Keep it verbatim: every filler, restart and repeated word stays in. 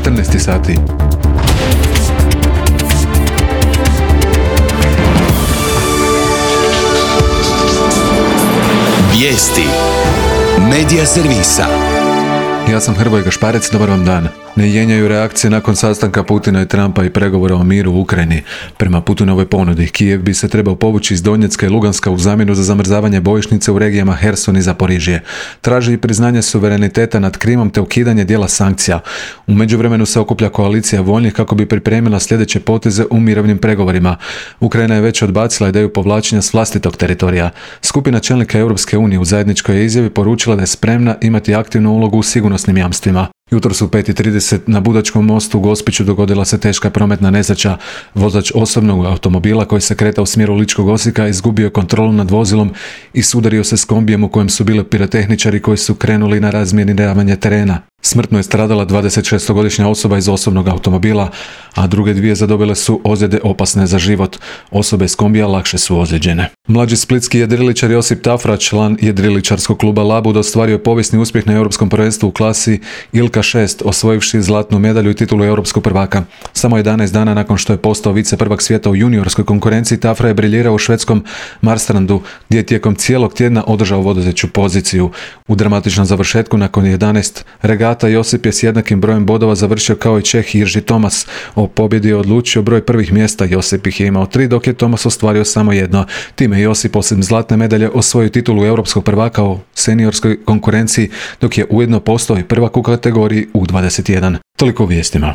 četrnaest sati. Vijesti Medija servisa. Ja sam Hrvoje Gašparec, dobar vam dan. Ne jenjaju reakcije nakon sastanka Putina i Trumpa i pregovora o miru u Ukrajini. Prema Putinovoj ponudi, Kijev bi se trebao povući iz Donjecka i Luganska u zamjenu za zamrzavanje bojišnice u regijama Herson i Zaporižje. Traži i priznanje suvereniteta nad Krimom te ukidanje dijela sankcija. U međuvremenu se okuplja koalicija voljnih kako bi pripremila sljedeće poteze u mirovnim pregovorima. Ukrajina je već odbacila ideju povlačenja s vlastitog teritorija. Skupina čelnika Europske unije u zajedničkoj izjavi poručila da je spremna imati aktivnu ulogu u sigurnosnim jamstvima. Jutros u pet i trideset na Budačkom mostu u Gospiću dogodila se teška prometna nesreća. Vozač osobnog automobila koji se kretao u smjeru Ličkog Osijeka izgubio je kontrolu nad vozilom i sudario se s kombijem u kojem su bili pirotehničari koji su krenuli na razminiravanje terena. Smrtno je stradala dvadesetšestogodišnja osoba iz osobnog automobila, a druge dvije zadobile su ozljede opasne za život. Osobe s kombija lakše su ozlijeđene. Mlađi splitski jedriličar Josip Tafra, član jedriličarskog kluba Labud, ostvario je povijesni uspjeh na europskom prvenstvu u klasi Ilka šest, osvojivši zlatnu medalju i titulu europskog prvaka. Samo jedanaest dana nakon što je postao vice prvak svijeta u juniorskoj konkurenciji, Tafra je briljirao u švedskom Marstrandu, gdje je tijekom cijelog tjedna održao vodeću poziciju. U dramatičnom završetku nakon jedanaest regata Josip je s jednakim brojem bodova završio kao i Čeh Jirži Tomas. O pobjedi je odlučio broj prvih mjesta. Josip ih je imao tri, dok je Tomas ostvario samo jedno. Time Josip osim zlatne medalje osvojio titulu europskog prvaka u seniorskoj konkurenciji, dok je ujedno postao i prvak u kategoriji U dvadeset jedan. Toliko u vijestima.